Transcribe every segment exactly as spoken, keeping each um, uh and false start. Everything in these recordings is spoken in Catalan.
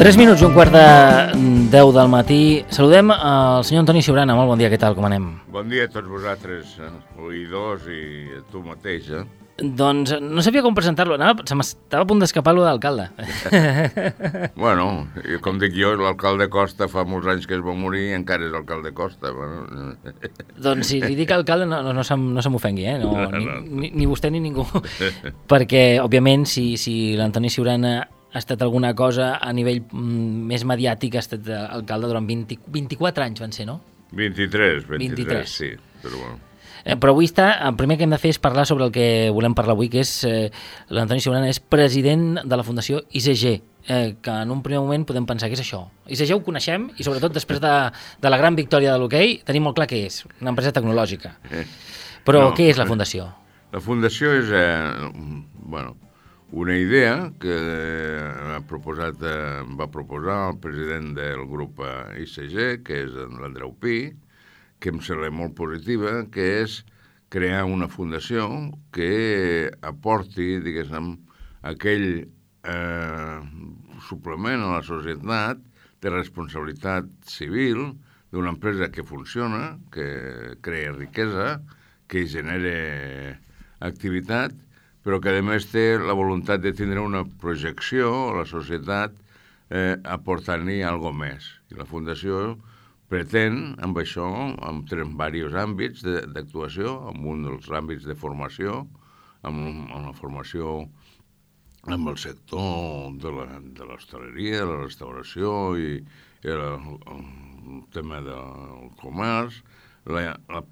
tres minuts i un quart de deu del matí. Saludem al senyor Antoni Ciurana. Molt bon dia, què tal, com anem? Bon dia a tots vosaltres, eh, oïdors, i a tu mateix, eh? Doncs no sabia com presentar-lo. Anava, se m'estava a punt d'escapar-lo d'alcalde. Bueno, com dic jo, l'alcalde Costa fa molts anys que es va morir i encara és alcalde Costa. Bueno. Doncs si li dic alcalde no, no, no, se, no se m'ofengui, eh? No, No, ni, no. ni, ni vostè ni ningú. Perquè, òbviament, si, si l'Antoni Ciurana ha estat alguna cosa a nivell mm, més mediàtic, ha estat alcalde durant vint, vint-i-quatre anys, van ser, no? vint-i-tres, vint-i-tres, vint-i-tres. sí, però bueno. Eh, però avui està, el primer que hem de fer és parlar sobre el que volem parlar avui, que és eh, l'Antoni Ciurana és president de la Fundació I C G, eh, que en un primer moment podem pensar que és això. I C G ho coneixem i sobretot després de, de la gran victòria de l'hoquei tenim molt clar què és, una empresa tecnològica. Però No, què és la Fundació? La fundació és eh, bueno, una idea que ha proposat, eh, va proposar el president del grup eh, I C G, que és l'Andreu Pi, que em sembla molt positiva, que és crear una fundació que aporti, diguéssim, aquell eh, suplement a la societat de responsabilitat civil d'una empresa que funciona, que crea riquesa, que genera activitat, però que a més té la voluntat de tindre una projecció a la societat eh, aportant-li alguna més. I la fundació pretén, amb això, amb diversos àmbits d'actuació, amb un dels àmbits de formació, amb, amb la formació amb el sector de l'hostaleria, de la restauració i, i el, el tema del comerç, la, la,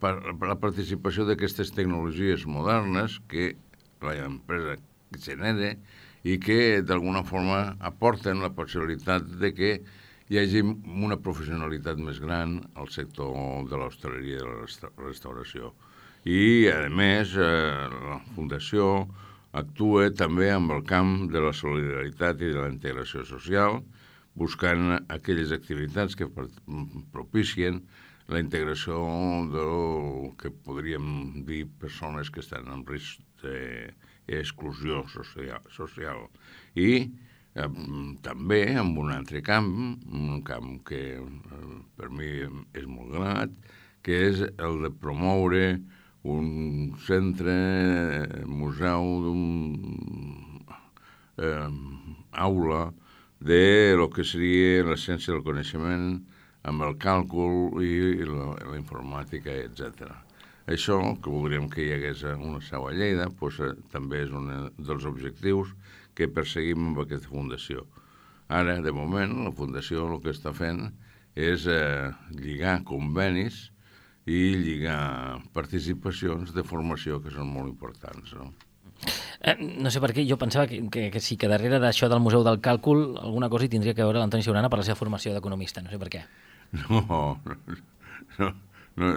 la participació d'aquestes tecnologies modernes que l'empresa genera i que d'alguna forma aporten la possibilitat de que hi hagi una professionalitat més gran al sector de l'hostaleria i de la restauració. I, a més, eh, la Fundació actua també amb el camp de la solidaritat i de la integració social, buscant aquelles activitats que propicien la integració del que podríem dir persones que estan en risc d'exclusió social. social. I Eh, també en un altre camp, un camp que eh, per mi és molt grat, que és el de promoure un centre, eh, museu, d'un eh, aula de lo que seria la ciència del coneixement amb el càlcul i la, la informàtica, etcètera. Això, que voldríem que hi hagués una seu a Lleida, doncs, eh, també és un dels objectius que perseguim amb aquesta fundació. Ara, de moment, la fundació el que està fent és eh, lligar convenis i lligar participacions de formació que són molt importants, no? Eh, no sé per què, jo pensava que, que, que sí, que darrere d'això del Museu del Càlcul alguna cosa hi tindria que veure l'Antoni Ciurana per la seva formació d'economista, no sé per què. No, no, no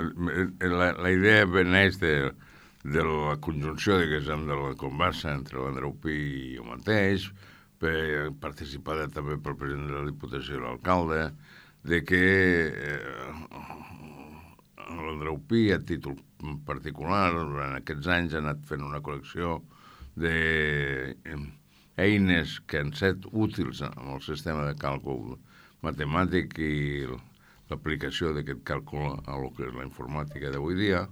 la, la idea neix de... de la conjunció, diguéssim, de la conversa entre l'Andreu Pi i jo mateix, per, participada també pel president de la Diputació i l'alcalde, de que eh, l'Andreu Pi, a títol particular, durant aquests anys ha anat fent una col·lecció d'eines que han set útils en el sistema de càlcul matemàtic i l'aplicació d'aquest càlcul a lo que és la informàtica d'avui dia,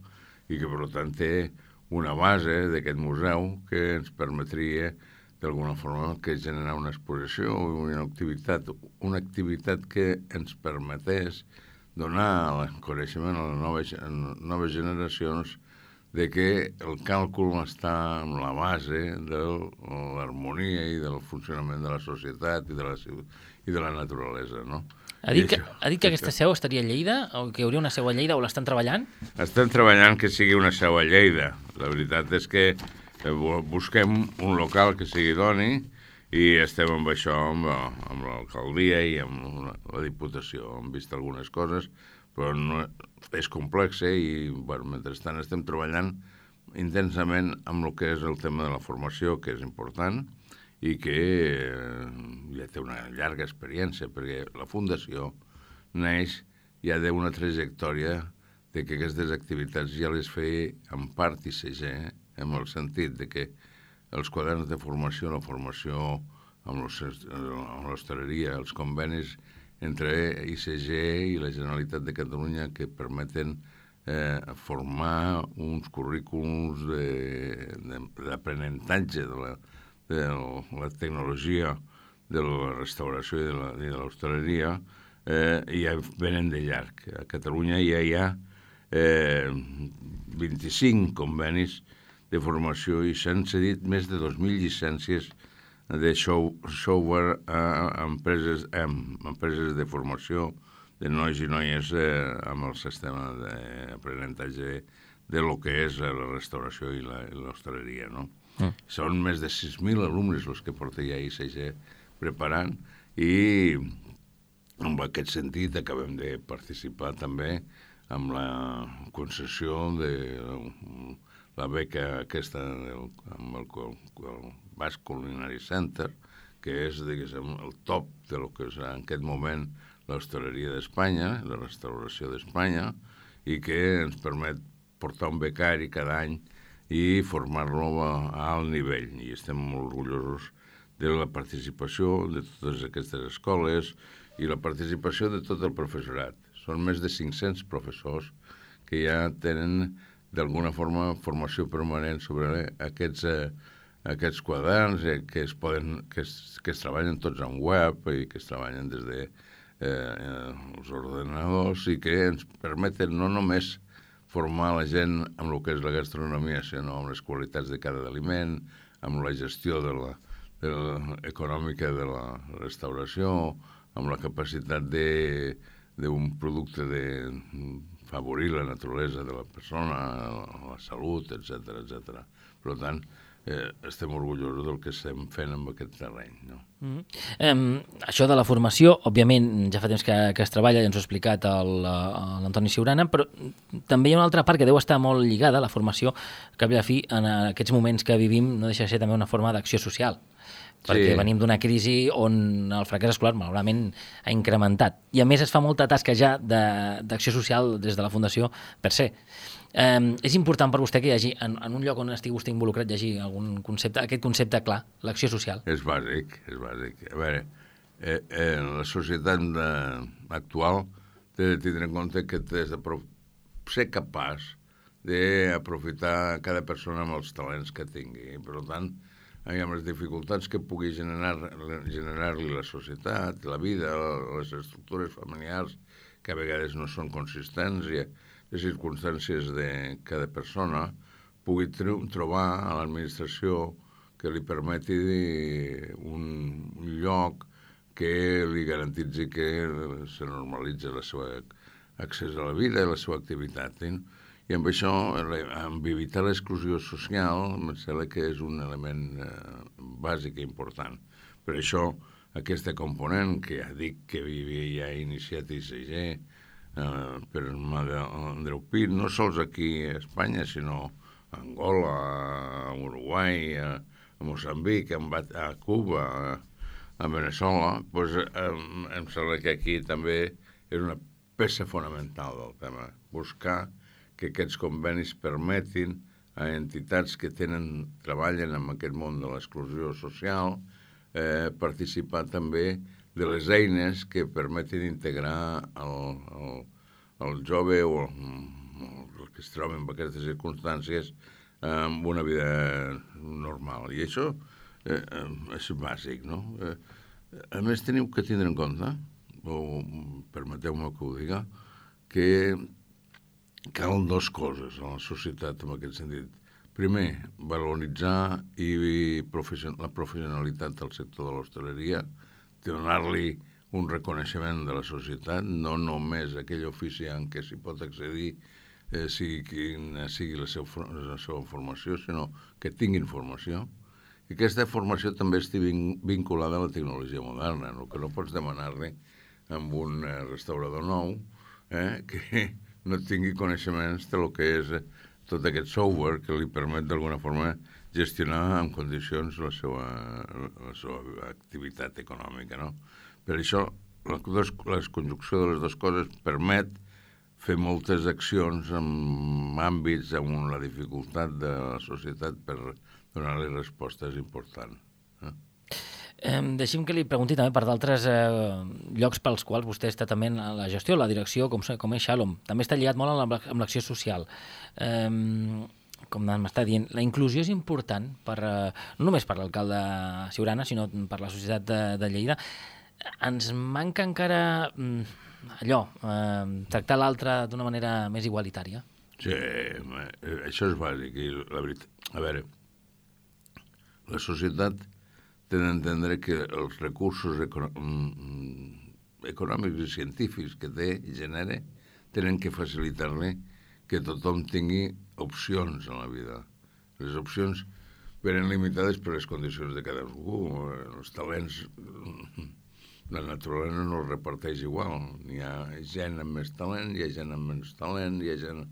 i que, per tant, té una base d'aquest museu que ens permetria, d'alguna forma, que generar una exposició, una activitat, una activitat que ens permetés donar el coneixement a les noves, a les noves generacions de que el càlcul està en la base de l'harmonia i del funcionament de la societat i de la, i de la naturalesa, no? Ha dit, que, ha dit que aquesta seu estaria a Lleida, o que hi hauria una seu a Lleida, o l'estan treballant? Estan treballant que sigui una seu a Lleida. La veritat és que busquem un local que sigui idoni i estem amb això, amb, amb l'alcaldia i amb la, la Diputació. Hem vist algunes coses, però no, és complex, eh? I bueno, mentrestant estem treballant intensament amb el que és el tema de la formació, que és important, i que eh, ja té una llarga experiència, perquè la Fundació neix ja d'una trajectòria de que aquestes activitats ja les feia en part I C G, en el sentit de que els quaderns de formació, la formació amb l'hostaleria, els convenis entre I C G i la Generalitat de Catalunya que permeten eh, formar uns currículums d'aprenentatge de, de, la, de la tecnologia de la restauració i de la, de l'hostaleria, eh, ja venen de llarg. A Catalunya ja hi ha eh, vint-i-cinc convenis de formació i s'han cedit més de dos mil llicències de show, software a empreses, a empreses de formació de nois i noies eh, amb el sistema d'aprenentatge de lo que és la restauració i l'hostaleria, no? Mm. Són més de sis mil alumnes els que porta ja I C G preparant i en aquest sentit acabem de participar també amb la concessió de la beca aquesta del, amb el, el Basque Culinary Center, que és, diguéssim, el top de lo que és en aquest moment l'hostaleria d'Espanya, la restauració d'Espanya, i que ens permet portar un becari cada any i formar-lo a, a alt nivell. I estem molt orgullosos de la participació de totes aquestes escoles i la participació de tot el professorat. Són més de cinc-cents professors que ja tenen d'alguna forma formació permanent sobre aquests, eh, aquests quaderns eh, que, es poden, que, es, que es treballen tots en web i que es treballen des de eh, els ordenadors i que ens permeten no només formar la gent amb el que és la gastronomia, sinó amb les qualitats de cada aliment, amb la gestió de la, de la econòmica de la restauració, amb la capacitat de d'un producte de favorir la naturalesa de la persona, la salut, etcètera, etcètera. Per tant, eh, estem orgullosos del que estem fent amb aquest terreny, no? Mm-hmm. eh, això de la formació, òbviament, ja fa temps que, que es treballa, ja ens ho ha explicat l'Antoni Siurana, però també hi ha una altra part que deu estar molt lligada a la formació, que a la fi, en aquests moments que vivim, no deixa de ser també una forma d'acció social, perquè sí. Venim d'una crisi on el fracàs escolar, malauradament, ha incrementat. I, a més, es fa molta tasca ja d'acció social des de la Fundació per se. Eh, és important per vostè que hi hagi, en, en un lloc on estigui vostè involucrat, hi hagi algun concepte, aquest concepte clar, l'acció social? És bàsic, és bàsic. A veure, eh, eh, la societat de, actual té de tindre en compte que has de ser capaç d'aprofitar cada persona amb els talents que tingui. Per tant, amb les dificultats que pugui generar, generar-li la societat, la vida, les estructures familiars, que a vegades no són consistents, i les circumstàncies de cada persona, pugui trobar a l'administració que li permeti un, un lloc que li garantitzi que se normalitzi el seu accés a la vida i la seva activitat. Eh? I amb això, amb evitar l'exclusió social, em sembla que és un element eh, bàsic i important. Per això, aquesta component, que ja dic que havia ja iniciat I C G, eh, per mà d'Andreu Pi, no sols aquí a Espanya, sinó a Angola, a Uruguai, a, a Moçambic, a Cuba, a, a Veneçuela, doncs, eh, em sembla que aquí també és una peça fonamental del tema, buscar que aquests convenis permetin a entitats que tenen, treballen en aquest món de l'exclusió social, eh, participar també de les eines que permetin integrar el, el, el jove o el, el que es troba en aquestes circumstàncies amb una vida normal. I això eh, és bàsic, no? Eh, a més, teniu que tindre en compte, o permeteu-me que ho diga, que calen dues coses a la societat en aquest sentit. Primer, valoritzar i profession- la professionalitat del sector de l'hostaleria, donar-li un reconeixement de la societat, no només aquell ofici en què s'hi pot accedir, eh, sigui quina sigui la seva, la seva formació, sinó que tinguin formació. I aquesta formació també estigui vinculada a la tecnologia moderna, el que no pots demanar-li amb un eh, restaurador nou, eh, que no tingui coneixements de lo que és tot aquest software que li permet d'alguna forma gestionar en condicions la seva, la seva activitat econòmica, no? Per això, la, la conjunció de les dues coses permet fer moltes accions en àmbits on la dificultat de la societat per donar-li respostes importants. Eh? Eh, deixi'm que li pregunti també per d'altres eh, llocs pels quals vostè està també en la gestió, la direcció, com, com és Shalom. També està lligat molt amb, la, amb l'acció social. Eh, com m'està dient, la inclusió és important per, eh, no només per l'alcalde Siurana, sinó per la societat de, de Lleida. Ens manca encara mm, allò, eh, tractar l'altre d'una manera més igualitària? Sí, això és bàsic. I la veritat, a veure, la societat té d'entendre que els recursos econòmics i científics que té i genera tenen que facilitar-li que tothom tingui opcions en la vida. Les opcions venen limitades per les condicions de cadascú. Els talents, la naturalesa no els reparteix igual. Hi ha gent amb més talent, hi ha gent amb menys talent, hi ha gent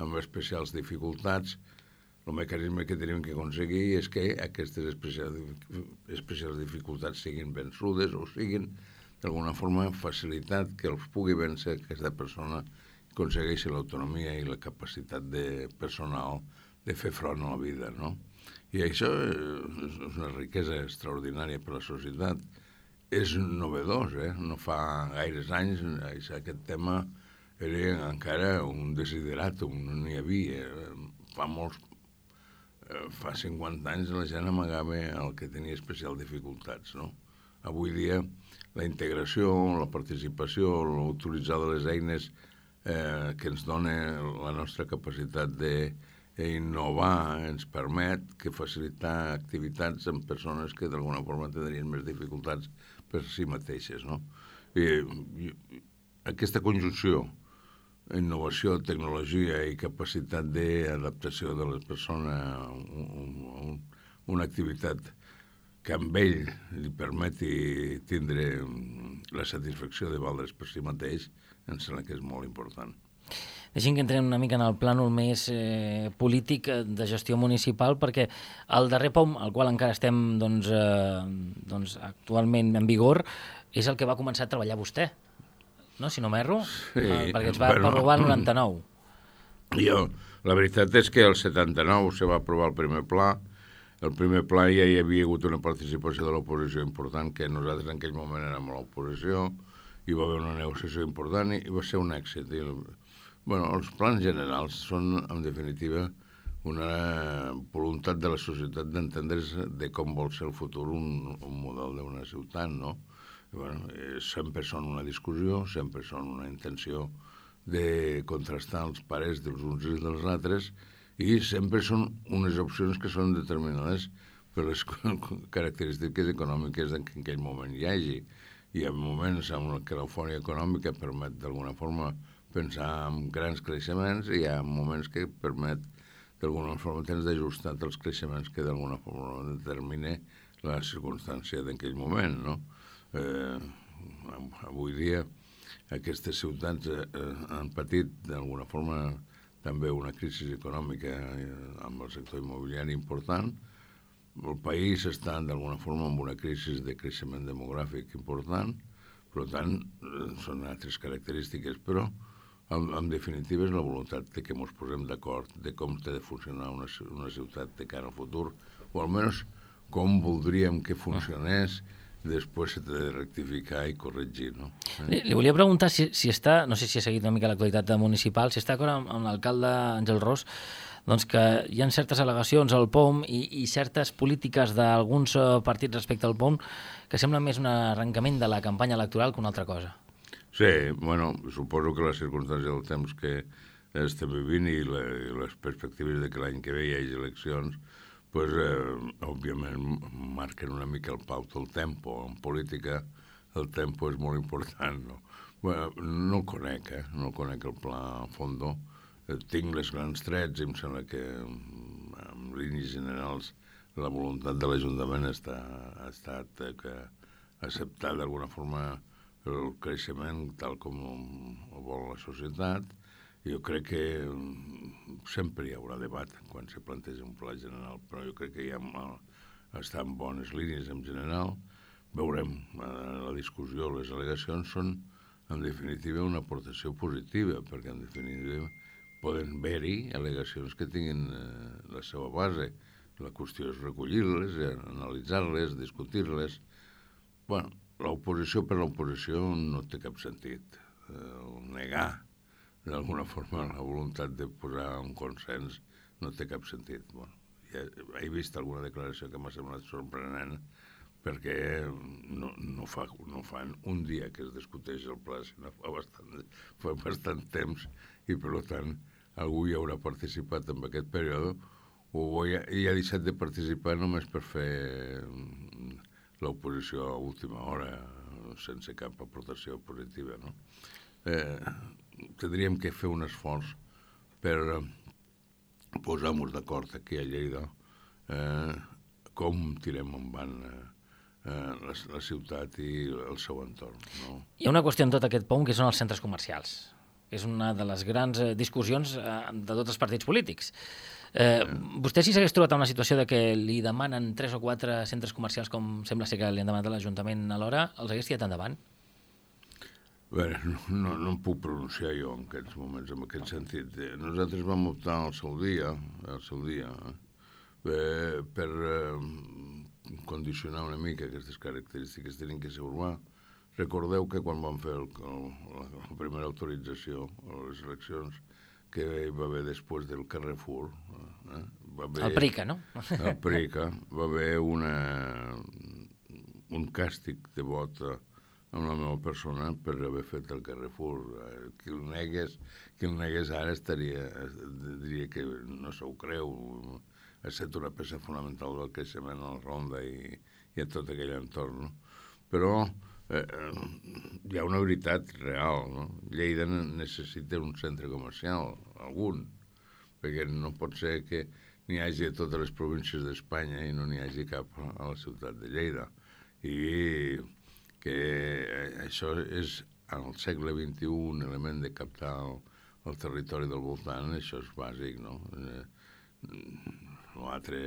amb especials dificultats. El mecanisme que tenim que aconseguir és que aquestes especials, especials dificultats siguin vençudes o siguin d'alguna forma facilitat que els pugui vèncer aquesta persona i aconsegueixi l'autonomia i la capacitat de personal de fer front a la vida, no? I això és una riquesa extraordinària per a la societat. És novedós, eh? No fa gaires anys aquest tema era encara un desideràtum, no n'hi havia. Fa molts fa cinquanta anys la gent amagava el que tenia especial dificultats, no? Avui dia la integració, la participació, l'utilitzar de les eines eh, que ens dona la nostra capacitat d'innovar ens permet que facilitar activitats amb persones que d'alguna forma tindrien més dificultats per si mateixes, no? I, i aquesta conjunció innovació, tecnologia i capacitat d'adaptació de les persones a un, un, una activitat que amb ell li permeti tindre la satisfacció de valdre's per si mateix, em sembla que és molt important. Deixem que entrem una mica en el plànol més eh, polític de gestió municipal, perquè el darrer POM, al qual encara estem doncs, eh, doncs, actualment en vigor, és el que va començar a treballar vostè, no? Si no m'erro, sí, eh, perquè es va bueno, aprovar el noranta-nou. Jo, la veritat és que el setanta-nou se va aprovar el primer pla. El primer pla ja hi havia hagut una participació de l'oposició important, que nosaltres en aquell moment érem a l'oposició, hi va haver una negociació important i va ser un èxit. I, bueno, els plans generals són, en definitiva, una voluntat de la societat d'entendre's de com vol ser el futur un, un model d'una ciutat, no? I, bueno, sempre són una discussió, sempre són una intenció de contrastar els pares dels uns i dels altres i sempre són unes opcions que són determinades per les característiques econòmiques en aquell moment hi hagi. Hi ha moments en què l'eufòria econòmica permet d'alguna forma pensar en grans creixements i hi ha moments que permet d'alguna forma tens d'ajustar els creixements que d'alguna forma determina la circumstància d'aquell moment, no? Eh, avui dia aquestes ciutats eh, han patit d'alguna forma també una crisi econòmica eh, amb el sector immobiliari important. El país està d'alguna forma en una crisi de creixement demogràfic important, per tant eh, són altres característiques, però en, en definitiva és la voluntat de que ens posem d'acord de com té de funcionar una, una ciutat de cara al futur, o almenys com voldríem que funcionés. Després s'ha de rectificar i corregir, no? Eh? Li, li volia preguntar si, si està, no sé si ha seguit una mica l'actualitat municipal, si està d'acord amb, amb l'alcalde Àngel Ros, doncs que hi ha certes al·legacions al POM i, i certes polítiques d'alguns partits respecte al POM que sembla més un arrencament de la campanya electoral que una altra cosa. Sí, bueno, suposo que la circumstància del temps que estem vivint i, la, i les perspectives de que l'any que ve hi hagi eleccions pues, eh, òbviament marquen una mica el pau del tempo. En política el tempo és molt important, no? Bueno, no el conec, eh? No el conec el pla a fondo. Eh, tinc les grans trets i em sembla que en línies generals la voluntat de l'Ajuntament està, ha estat eh, que acceptar d'alguna forma el creixement tal com ho vol la societat. Jo crec que sempre hi haurà debat quan se planteja un pla general, però jo crec que ja està en bones línies en general. Veurem, la discussió, les al·legacions són, en definitiva, una aportació positiva, perquè, en definitiva, poden haver-hi al·legacions que tinguin la seva base. La qüestió és recollir-les, analitzar-les, discutir-les, bueno, l'oposició per l'oposició no té cap sentit. El negar, d'alguna forma, la voluntat de posar un consens no té cap sentit. Bueno, ja he vist alguna declaració que m'ha semblat sorprenent perquè no, no, fa, no fan un dia que es discuteix el pla, sinó fa bastant, fa bastant temps i, per tant, algú hi haurà participat en aquest període o ja, i ha deixat de participar només per fer l'oposició a última hora sense cap aportació positiva, no? Eh, tindríem que fer un esforç per posar-nos d'acord aquí a Lleida eh, com tirem endavant eh, la, la ciutat i el seu entorn, no? Hi ha una qüestió en tot aquest punt que són els centres comercials, que és una de les grans eh, discussions eh, de tots els partits polítics. Eh, vostè si s'hagués trobat en una situació de que li demanen tres o quatre centres comercials com sembla ser que li han demanat a l'Ajuntament alhora, els hagués tirat endavant? Bé, no, no, no em puc pronunciar jo en aquests moments, en aquest sentit. Nosaltres vam optar al seu dia, al seu dia eh, per eh, condicionar una mica aquestes característiques, tenien que ser urbà. Recordeu que quan vam fer el, el, la, la primera autorització a les eleccions que hi va haver després del Carrefour, eh, va haver, el Prica, no? El Prica, va haver una, un càstig de vot amb la meva persona per haver fet el Carrefour. Qui el negués, qui el negués ara estaria, diria que no se ho creu, ha estat una peça fonamental del creixement a la Ronda i, i a tot aquell entorn, no? Però eh, hi ha una veritat real, no? Lleida necessita un centre comercial, algun, perquè no pot ser que n'hi hagi a totes les províncies d'Espanya i no n'hi hagi cap a la ciutat de Lleida. I que això és, al segle vint-i-u, un element de captar el, el territori del voltant, això és bàsic, no? L'altre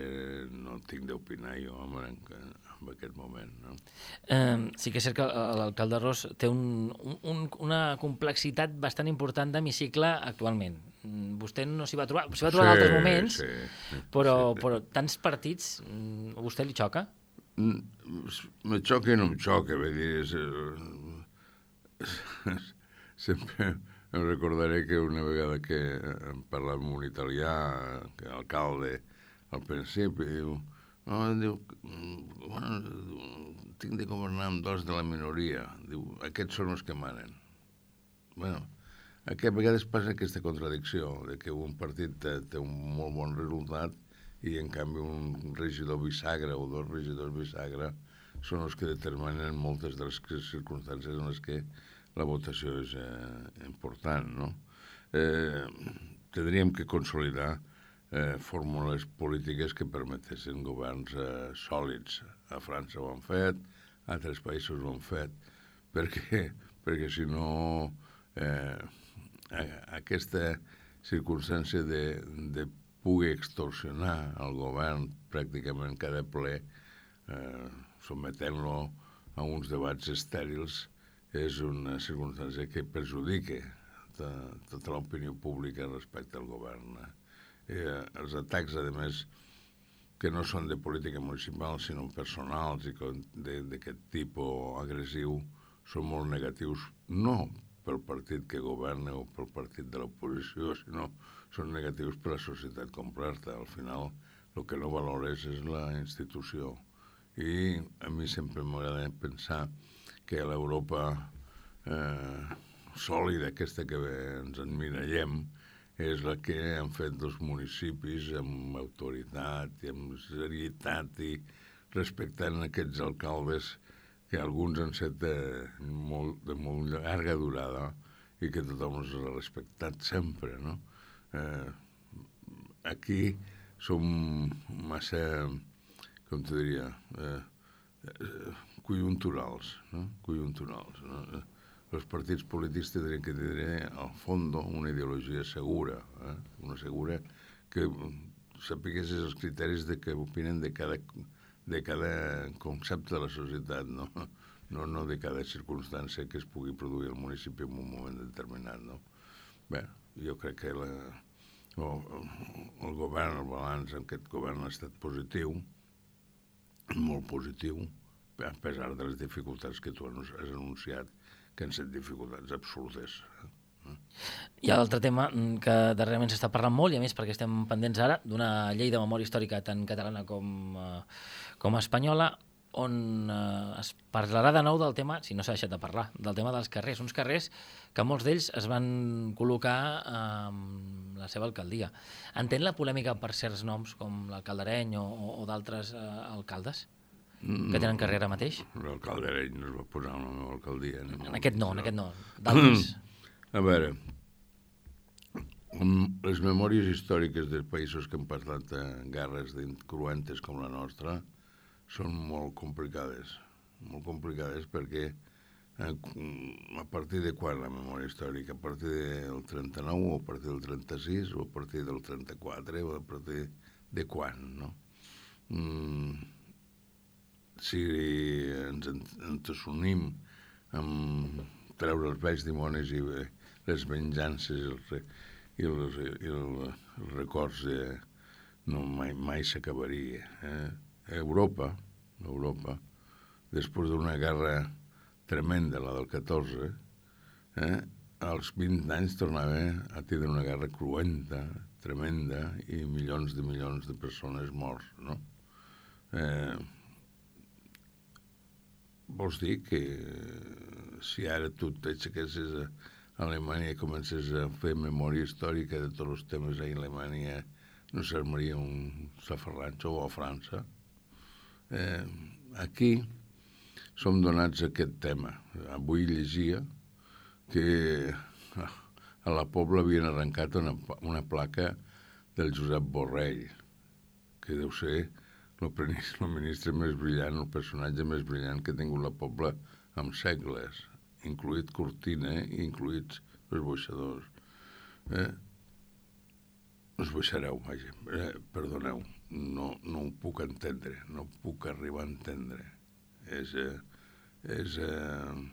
no tinc d'opinar jo en, en aquest moment, no? Eh, sí que és cert que l'alcalde Ros té un, un, una complexitat bastant important d'hemicicle actualment. Vostè no s'hi va trobar, s'hi va trobar en altres moments, sí, sí, però, sí. però tants partits, a vostè li xoca? Me xoca i no em xoca, vull dir, és, és, sempre em recordaré que una vegada que em parlava amb un italià, que l'alcalde, al principi, diu, no, diu, bueno, tinc de governar amb dos de la minoria, diu, aquests són els que manen. Bueno, aquí a vegades passa aquesta contradicció, de que un partit té, té un molt bon resultat i en canvi un regidor bisagra o dos regidors bisagra són els que determinen moltes de les circumstàncies en les que la votació és eh, important, no? Eh, tindríem que consolidar eh, fórmules polítiques que permetessin governs eh, sòlids. A França ho han fet, a altres països ho han fet, perquè, perquè si no eh, aquesta circumstància de, de pugui extorsionar el govern pràcticament cada ple, eh, sometent-lo a uns debats estèrils, és una circumstància que perjudica to, tota l'opinió pública respecte al govern. Eh, els atacs, a més, que no són de política municipal, sinó personals i d'aquest tipus agressiu, són molt negatius, no pel partit que governa o pel partit de l'oposició, sinó són negatius per a la societat completa. Al final, el que no valores és la institució. I a mi sempre m'agrada pensar que l'Europa eh, sòlida, aquesta que ens emmirallem, és la que han fet dels municipis amb autoritat i amb serietat i respectant aquests alcaldes que alguns han set de molt, de molt llarga durada i que tothom els ha respectat sempre, no? Eh, aquí som massa, com te diria, eh, eh, conjunturals, no? Conjunturals, no? Els partits polítics tindrien que tenir, al fons, una ideologia segura, eh? Una segura que sapigués els criteris de què opinen de cada, de cada concepte de la societat, no? No, no de cada circumstància que es pugui produir al municipi en un moment determinat, no? Bé, jo crec que la, el, el govern, el balanç en aquest govern ha estat positiu, molt positiu, a pesar de les dificultats que tu has anunciat, que han estat dificultats absolutes. Hi ha l'altre tema que darrerament s'està parlant molt, i a més perquè estem pendents ara d'una llei de memòria històrica tant catalana com, eh, com espanyola, on eh, es parlarà de nou del tema, si no s'ha deixat de parlar, del tema dels carrers, uns carrers que molts d'ells es van col·locar amb la seva alcaldia. Entén la polèmica per certs noms, com l'alcalde Areny o, o d'altres eh, alcaldes que tenen carrer ara mateix? L'alcalde Areny no es va posar en la meva alcaldia. No. En aquest no, en aquest no. D'altres... A veure, les memòries històriques dels països que han passat guerres cruentes com la nostra són molt complicades, molt complicades perquè a partir de quan la memòria històrica? A partir del trenta-nou o a partir del trenta-sis o a partir del trenta-quatre o a partir de quan, no? Mm, si ens entesonim amb treure els vells dimonis i les venjances i els, i els, i els, els records de, no, mai, mai s'acabaria. Eh? Europa, Europa, després d'una guerra tremenda, la del catorze, eh? als vint anys tornava a tindre una guerra cruenta, tremenda, i milions de milions de persones morts, no? Eh, vols dir que si ara tu t'aixequessis a Alemanya i comences a fer memòria històrica de tots els temes a Alemanya, no s'armaria un safarratxo, o a França? Eh, aquí som donats a aquest tema. Avui llegia que a la Pobla havien arrencat una, una placa del Josep Borrell, que deu ser el ministre més brillant, el personatge més brillant que ha tingut la Pobla en segles, incluït Cortina i incluïts els boixadors. Eh? Us baixareu, vaja, eh, perdoneu, no, no ho puc entendre, no puc arribar a entendre. És, eh, és eh,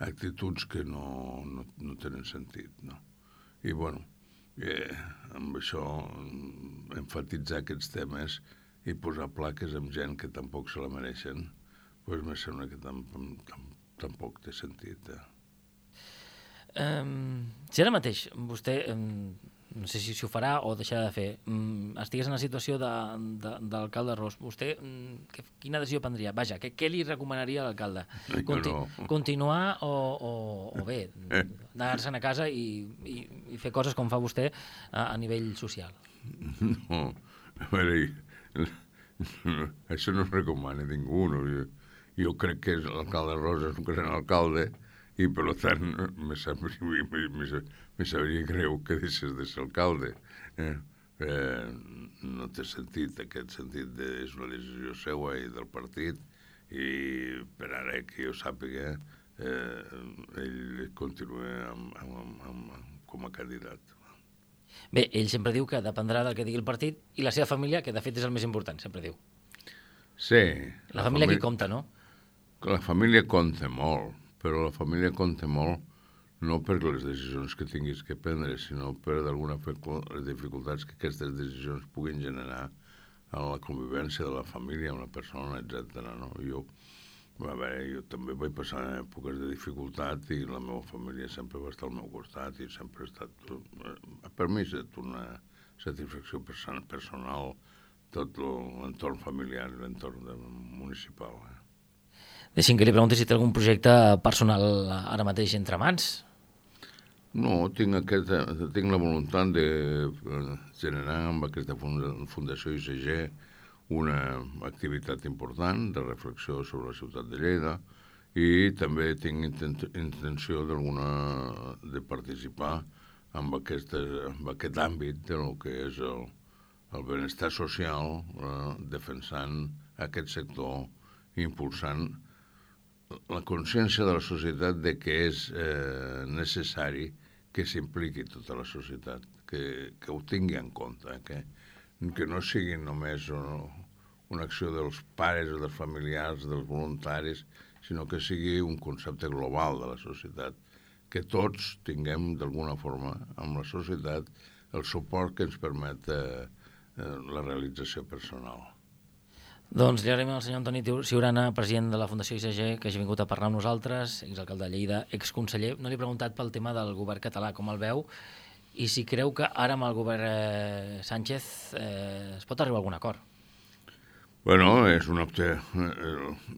actituds que no, no, no tenen sentit, no? I, bueno, eh, amb això, enfatitzar aquests temes i posar plaques amb gent que tampoc se la mereixen, doncs me sembla que tam, tam, tampoc té sentit. Eh? Um, si ara mateix vostè, um, no sé si, si ho farà o deixarà de fer, um, estigués en la situació d'alcalde Ros, vostè um, que, quina decisió prendria? Vaja, què, què li recomanaria a l'alcalde? Conti no. Continuar o, o, o bé, anar-se'n a casa i, i, i fer coses com fa vostè a, a nivell social? No, a veure, això no es recomana a ningú. No? Jo, jo crec que l'alcalde Ros és un gran alcalde i, per tant, me sabria, me, me, me sabria greu que deixés de ser alcalde. Eh? Eh, no té sentit, aquest sentit de, és una decisió seva i del partit, i per ara que jo sàpiga, eh, ell continua amb, amb, amb, amb, com a candidat. Bé, ell sempre diu que dependrà del que digui el partit i la seva família, que de fet és el més important, sempre diu. Sí. La, la família aquí compta, no? La família compta molt, però la família compta molt no per les decisions que tinguis que prendre, sinó per d'alguna forma les dificultats que aquestes decisions puguin generar a la convivència de la família amb la persona, etcètera. No? Jo, a veure, jo també vaig passar èpoques de dificultat i la meva família sempre va estar al meu costat i sempre ha estat, per mi ha estat una satisfacció personal tot l'entorn familiar, l'entorn municipal. Eh? Deixi'm que li pregunti si té algun projecte personal ara mateix entre mans. No, tinc, aquesta, tinc la voluntat de generar amb aquesta Fundació I C G una activitat important de reflexió sobre la ciutat de Lleida i també tinc intenció d'alguna de participar en, aquesta, en aquest àmbit de lo que és el, el benestar social, eh, defensant aquest sector i impulsant la consciència de la societat de que és eh, necessari que s'impliqui tota la societat, que, que ho tingui en compte, que, que no sigui només una, una acció dels pares o dels familiars, dels voluntaris, sinó que sigui un concepte global de la societat, que tots tinguem d'alguna forma amb la societat el suport que ens permet eh, eh, la realització personal. Doncs li agraïm al senyor Antoni Ciurana, president de la Fundació I C G, que hagi vingut a parlar amb nosaltres, exalcalde de Lleida, exconseller. No li he preguntat pel tema del govern català, com el veu, i si creu que ara amb el govern eh, Sánchez eh, es pot arribar a algun acord. Bueno, és una opció.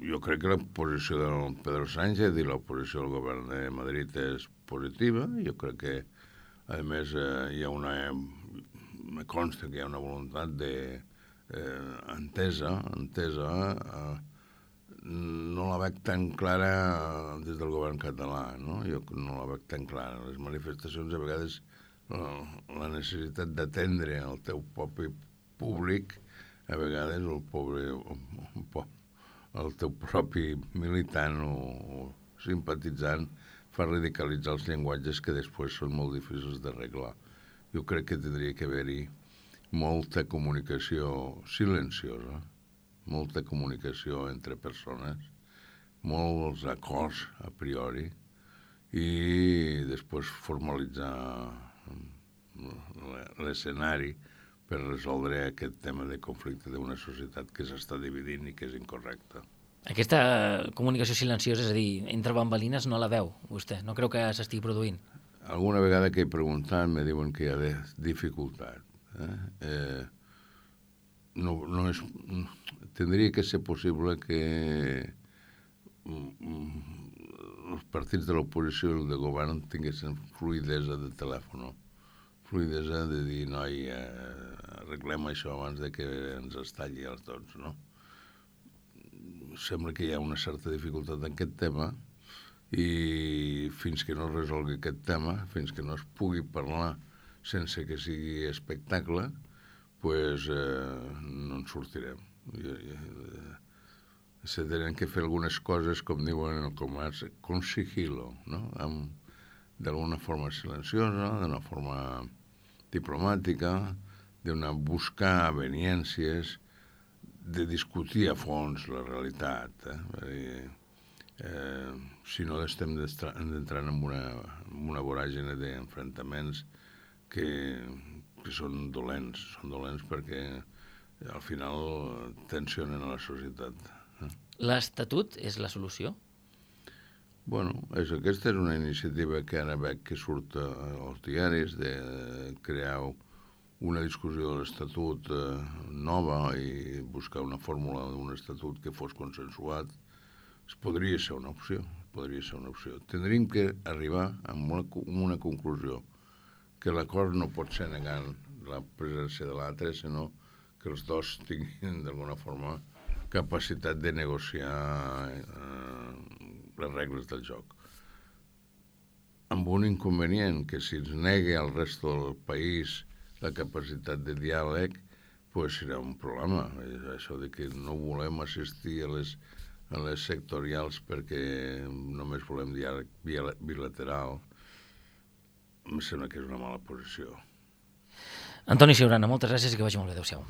Jo crec que la posició del Pedro Sánchez i la posició del govern de Madrid és positiva. Jo crec que, a més, eh, hi ha una... Me consta que hi ha una voluntat de eh, entesa, entesa, eh, no la veig tan clara des del govern català, no? Jo no la veig tan clara. Les manifestacions, a vegades, la, la necessitat d'atendre el teu propi públic, a vegades el pobre, el teu propi militant o, o simpatitzant fa radicalitzar els llenguatges que després són molt difícils d'arreglar. Jo crec que tindria que haver-hi molta comunicació silenciosa, molta comunicació entre persones, molts acords a priori i després formalitzar l'escenari per resoldre aquest tema de conflicte d'una societat que s'està dividint i que és incorrecta. Aquesta comunicació silenciosa, és a dir, entre bambalines, no la veu, vostè? No creu que s'estigui produint? Alguna vegada que he preguntat me diuen que hi ha dificultat. Eh? Eh, no, no és, tindria que ser possible que els partits de l'oposició i el de govern tinguessin fluidesa de telèfon, fluidesa de dir, noi, eh, arreglem això abans de que ens estalli els tots, no? Sembla que hi ha una certa dificultat en aquest tema i fins que no es resolgui aquest tema, fins que no es pugui parlar sense que sigui espectacle, pues, eh, no en sortirem. Se tenen que fer algunes coses, com diuen en el comerç, con sigilo, no? D'alguna forma silenciosa, d'una forma diplomàtica, d'una buscar aveniències, de discutir a fons la realitat. Eh? Eh, si no estem entrant en una, en una voràgine d'enfrontaments que, que són dolents, són dolents perquè al final tensionen a la societat. Eh? L'Estatut és la solució? Bueno, és, aquesta és una iniciativa que ara veig que surt als diaris de crear una discussió de l'Estatut eh, nova i buscar una fórmula d'un Estatut que fos consensuat. Podria ser una opció, podria ser una opció. Tindríem que arribar a una, una conclusió, que l'acord no pot ser negant la presència de l'altre, sinó que els dos tinguin d'alguna forma capacitat de negociar eh, les regles del joc. Amb un inconvenient, que si ens negui al rest del país la capacitat de diàleg, pues serà un problema. Això de que no volem assistir a les a les sectorials perquè només volem diàleg bilateral, em sembla que és una mala posició. Antoni Ciurana, moltes gràcies i que vagi molt bé. Adéu-siau.